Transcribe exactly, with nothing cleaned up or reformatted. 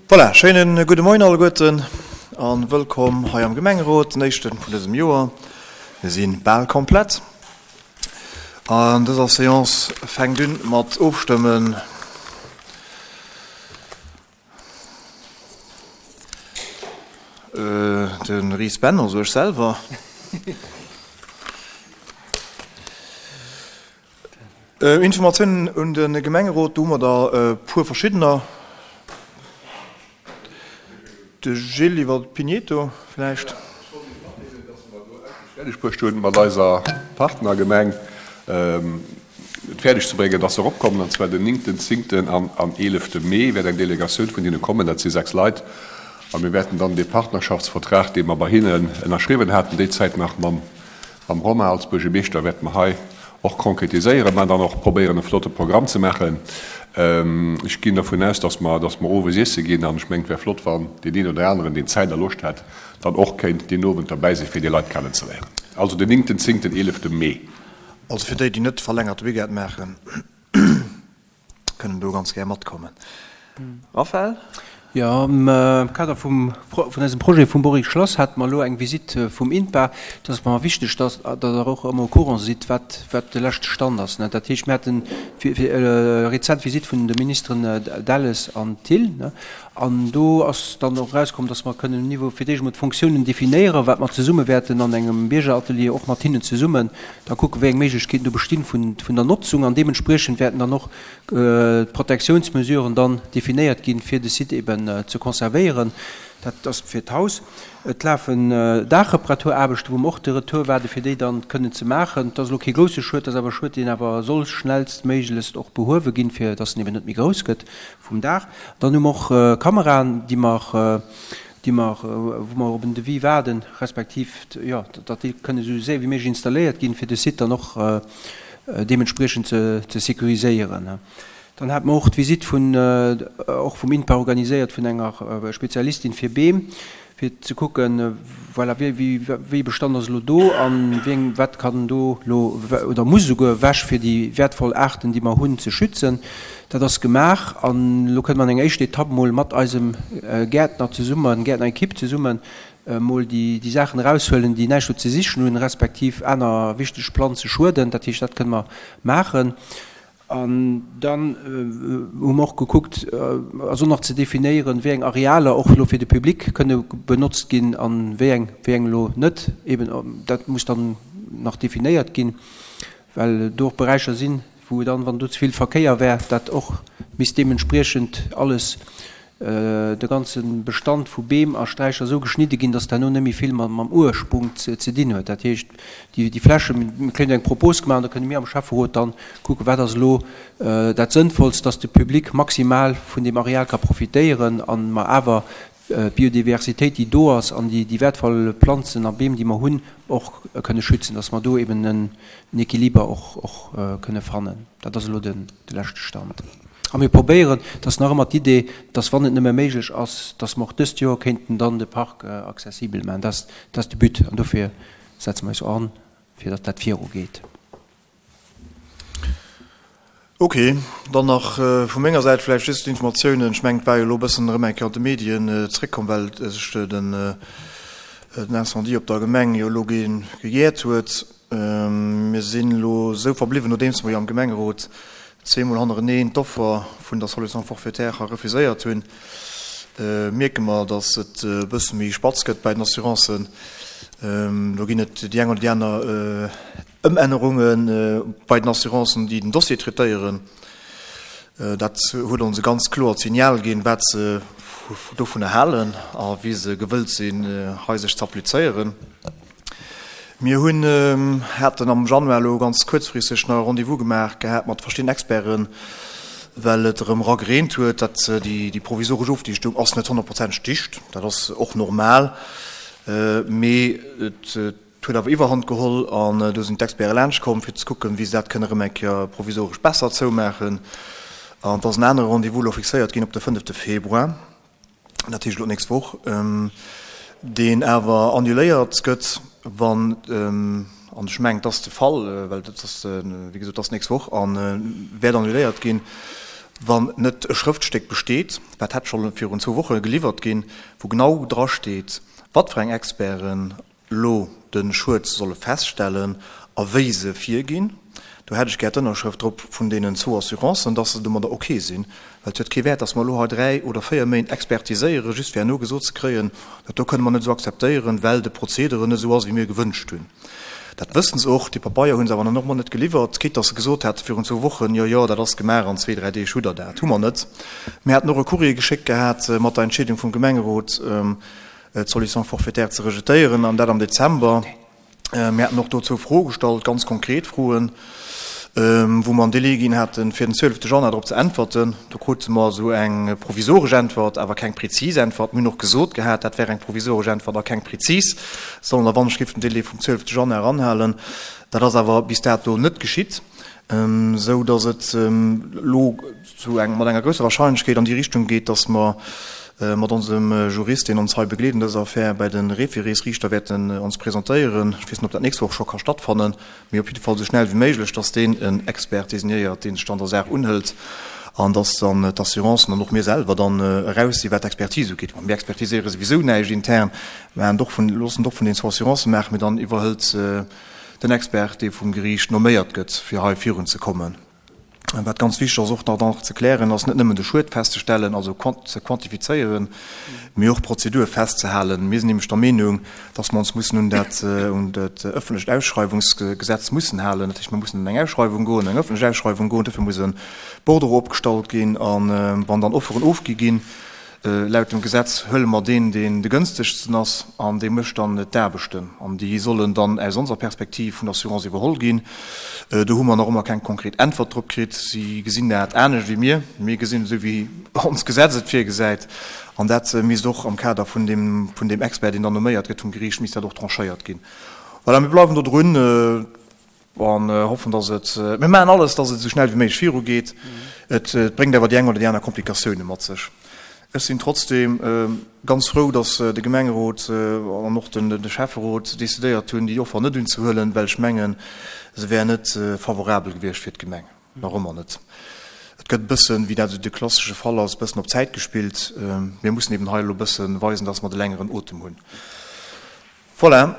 Voilà, schéine gudde Moien alleguerten a wëllkomm hei am Gemengerot, den éischte vun dësem Joer. Mir si bal komplett. An dëser Seance fänkt un mat Ofstëmmen. De Ris Ben, also ech selwer. Informatiounen un de Gemengerot, do hu mer der e puer verschiddener. De Gilles iwwer Pigneto vläicht. Ech wollt Iech matdeelen, dass mer do endlech fäerdeg bruecht hunn, mat eiser Partnergemeng et fäerdeg ze bréngen, dass se eropkommen, an zwar den néngten, zéngten an an eelefte Mee wäert eng Delegatioun vun hinne kommen, dat si sechs Leit, a mir wäerten dann dee Partnerschaftsvertrag, dee mer bei hinnen ënnerschriwwen haten, déi Zäit nach mam Mam Romain als Buergermeeschter wäerte mer hei och konkretiséieren, mä dann och probéieren e flotte Programm ze maachen. Ech ginn dervun aus, dass mer, dass mer owes iesse ginn an ech mengen, et wär flott, wann deen een oder aneren, deen Zäit a Loscht hätt, dann och kéint deen Owend derbäi sinn, fir déi Leit kennenzeléieren. Also den néngten, zéngten, eelefte Mee. Also fir déi, déi net verlängerte Weekend maachen, kënnen do ganz gär matkommen. Raphaël? Jo, am Kader vum vun eisem Projet vum Boris Schlass hate mer elo eng Visitt vum INPA. Et ass mer wichteg, dass Der och ëmmer au courant sidd, wat wat de leschte Stand ass. Dat heescht, mir haten rezent d'Visitt vun de Ministeren Delles an Thill, an do ass dann och erauskomm, dass mer kënnen um Niveau fir d'éischt emol d'Fonctiounen definéieren, wat mer zesumme wäerten an engem Biergeratelier och mat hinnen zesummen da kucken, wéi eng Méiglechkeeten do bestinn vun vun der Notzung, an deementspriechend wäerten dann och d'Protektiounsmesuren dann definéiert ginn, fir de Site eben ze conservéieren. Dat ass fir d'Haus. Et lafen Daachreparaturaarbechten, wou mer och de Retour waarden, fir déi dann kënnen ze maachen. Et ass elo kee grousse Schued, et ass awer e Schued, deen awer soll schnellstméiglechst och behuewe ginn, fir dass en eben net méi grouss gëtt vum Daach. Dann hu mer och Kameraen, déi mer, déi mer, wou mer op en Devis waarden, respektiv, jo, datt déi kënnen esou séier wéi méiglech installéiert ginn, fir de Site dann och deementspriechend ze sécuriséieren. Dann hate mer och d'Visitt vun, och vum INPA organiséiert, vun enger Spezialistin fir Beem, fir ze kucken, voilà, wéi, wéi e Bestand ass elo do a wéi, wat kann do elo oder muss esouguer ewech, fir déi wäertvoll Aarten, déi mer hunn, ze schützen. Dat ass gemaach an elo kënne mer an enger éischter Etapp mol mat eisem Gäertner zesummen, Gäertnerekipp zesummen, mol déi Saachen eraushuelen, déi näischt do ze sichen hunn, respektiv aner wichteg Planze schueden. Dat heescht, dat kënne mer maachen. An dann hu mer och gekuckt, also nach ze definéieren, wéi eng Arealer och elo fir de Public kënne benotzt ginn a wéi eng, wéi eng elo net. Eben dat muss dann nach definéiert ginn, well do och Beräicher sinn, wou dann, wann do ze vill Verkéier wär, dat och misst deementspriechend alles de ganze Bestand vu Beem a Sträicher esou geschnidde ginn, dass herno net méi vill mam Ursprung ze dinn huet. Dat heescht, déi Flächen, mir kréien eng Propos gemaach an da kënne mir am Schäfferot dann kucken, wat ass elo dat Sënnvollst, dass de Public maximal vun deem Areal ka profitéieren a mer awer d'Biodiversitéit, déi do ass an déi wäertvoll Planzen a Beem, déi mer hunn, och kënne schützen, dass mer do eben en Equiliber och kënne fannen. Dat ass elo de leschte Stand. A mir probéieren, et ass nach ëmmer d'Idee, dass, wann et nëmme méiglech ass, dass mer och dëst Joer kéinten dann de Park accessibel maachen. Dat ass de But an dofir setze mer eis an, fir datt dat virugeet. Ok, dann nach vu menger Säit vläicht just Informatiounen. Ech mengen, et war jo elo e bëssen erëm eng Kéier an de Medien zréckkomm, well sech den Incendie op der Gemeng jo elo gejäert huet. Mir sinn elo esou verbliwwen, nodeems mer jo am Gemengerot zweemol hannereneen d'Offer vun der Solution forfaitaire refuséiert hunn, mierke mer, datt et e bësse méi spatz gëtt bäi den Assurancen. Do ginn et déi eng oder déi aner Ëmännerunge bei den Assurancen, déi den Dossier traitéieren. Dat huet ons e ganz kloert Signal ginn, wat se dovunner halen a wéi se gewëllt sinn, hei sech ze applizéieren. Mir hunn, haten am Januar elo ganz kuerzfristeg nach e Rendez-vous gemaach gehat mat verschiddenen Experten, well et erëm era gereent huet. Dat, déi provisoresch Ofdichtung ass net honnertprozenteg dicht, dat ass och normal, mee et huet awer Iwwerhand geholl an do sinn d'Experte laanscht komm, fir ze kucken, wéi se dat kënne erëm eng Kéier provisoresch besser zoumaachen. An et ass en anere Rendez-vous elo fixéiert ginn op de fënnefte Februar. dat heescht elo d'nächst Woch, deen awer annuléiert gëtt, wann, an ech mengen, et ass de Fall, well dat ass, wéi gesot, et ass d'nächst Woch a wäert annuléiert ginn, wann net e Schrëftstéck besteet, wat hätt scho virun zwou Woche geliwwert ginn, wou genau drasteet, wat fir eng Experten elo de Schued solle feststellen a wéi se virginn. Do hätt ech gär d'Ënnerschrëft drop vun deenen zwou Assurancen, dass se domadder ok sinn. Well et huet kee Wäert, dass mer elo hei dräi oder véier Méint expertiséieren, just fir herno gesot ze kréien, dat do kënne mer net esou akzeptéieren, well de Prozedere net esou ass, wéi mir gewënscht hunn. Dat wëssen se och. Déi Pabeier hu se awer nach ëmmer net geliwwert, quitte dass se gesot hate virun zwou Wochen, jo, jo, dat ass gemaach, an zwee, dräi Deeg hutt Der dat. Hu mer net. Mir haten och e Courrier geschéckt gehat mat der Entscheedung vum Gemengerot, d'Solution forfaitaire ze rejetéieren, an dat am Dezember. Mir haten och dozou Froe gestallt, ganz konkret Froen, wou mer en Délai ginn haten, fir den zwielefte Januar drop ze äntwerten. Do krute mer esou eng provisoresch Äntwert, awer keng prezis Äntwert. Mir hunn och gesot gehat, dat wär eng provisoresch Äntwert a keng prezis, sollen der Wandschrift den Délai vum zwielefte Januar anhalen. Dat ass awer bis dato net geschitt, esou datt et elo zu eng, mat enger grousser Wahrscheinlechkeet an déi Richtung geet, datt mer mat onsem Jurist, deen ons hei begleet an dëser Affär, bei de Référésriichter wäerten ons presentéieren. Ech weess net, ob dat d'nächst Woch scho ka stattfannen, mee op jidde Fall esou schnell wéi méiglech, dass deen en Expert désignéiert, deen sech dann der Saach unhëlt an dass dann d'Assurancen an och mir selwer dann eraus sinn, wat d'Expertise ugeet. Mir expertiséiere souwisou näischt intern, mä och vun, loossen et och vun den zwou Assurancen maachen, mee dann iwwerhëlt den Expert, dee vum Geriicht nomméiert gëtt, fir hei virunzekommen. Wat ganz wichteg ass och nach nach ze klären, ass net nëmmen de Schued festzestellen, also ze quantifizéieren, mee och d'Prozedur festzehalen. Mir sinn nämlech der Meenung, dass mer ons mussen un dat un dat öffentlecht Ausschreiwungsgesetz mussen halen. Dat heescht, mer mussen an eng Ausschreiwung goen, eng öffentlech Ausschreiwung goen. Dofir muss e Bordereau opgestallt ginn. A wann dann Offeren ofgi ginn, Laut dem Gesetz huele mer deen, deen de gënstegsten ass, an dee mécht dann d'Aarbechten. An déi sollen dann aus onser Perspektiv vun der Assurance iwwerholl ginn. Do hu mer nach ëmmer keng konkret Äntwert drop kritt. Si gesinn dat anescht wéi mir. Mir gesinn et esou, wéi onst Gesetz et virgesäit. An dat misst och am Kader vun deem, vun deem Expert, deen dann nomméiert gëtt vum Geriicht, misst dat och tranchéiert ginn. Voilà, mir bleiwen do drun. An hoffen, dass et, mir maachen alles, dass et esou schnell wéi méiglech virugeet. Et bréngt awer déi eng oder déi aner Komplikatioune mat sech. Ech sinn trotzdeem ganz frou, dass de Gemengerot an och de Schäfferot decidéiert hunn, déi Offer net unzehuelen, well ech mengen, se wär net favorabel gewiescht fir d'Gemeng. Nach ëmmer net. Et gëtt e bëssen, wéi dat esou de klassesche Fall ass, e bëssen op Zäit gespillt. Mir mussen eben hei elo e bësse weisen, dass mer de längeren Otem hunn. Voilà.